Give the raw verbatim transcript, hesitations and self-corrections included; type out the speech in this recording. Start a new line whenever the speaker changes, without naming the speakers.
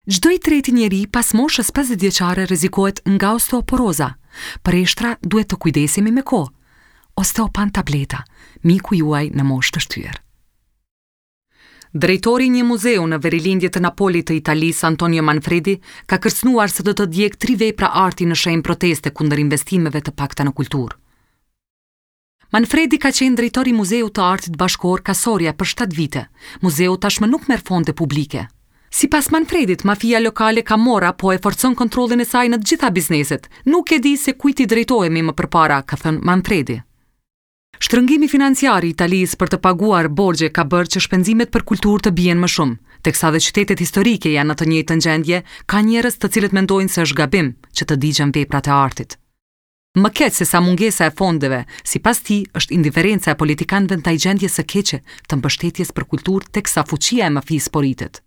Çdo i treti njeri pas moshës pesëdhjetë vjeçare rrezikohet nga osteoporoza. Për eshtra duhet të kujdesemi me kohë. Osteopan tableta, miku juaj në moshë të shtyrë. Drejtori i një muzeu në verilindje të Napolit të Italisë, Antonio Manfredi, ka kërcënuar se do të djegë tri vepra arti në shenjë proteste kundër investimeve të pakta në kulturë. Manfredi ka qenë drejtor i Muzeut të Artit Bashkëkohor Casoria për shtatë vite. Muzeu tashmë nuk merr fonde publike. Sipas Manfredit, mafia lokale Camorra po e forcon kontrollin e saj në të gjitha bizneset. Nuk e di se kujt i drejtohemi më përpara, ka thënë Manfredi. Shtrëngimi financiar i Italisë për të paguar borxhe ka bërë që shpenzimet për kulturë të bien më shumë. Teksa dhe qytetet historike janë në të njëjtën gjendje, ka njerëz të cilët mendojnë se është gabim që të digjen veprat e artit. Më keq se sa mungesa e fondeve, sipas tij, është indiferenca e politikanëve ndaj gjendjes së keqe të mbështetjes për kulturë teksa fuqia e mafisë po rritet.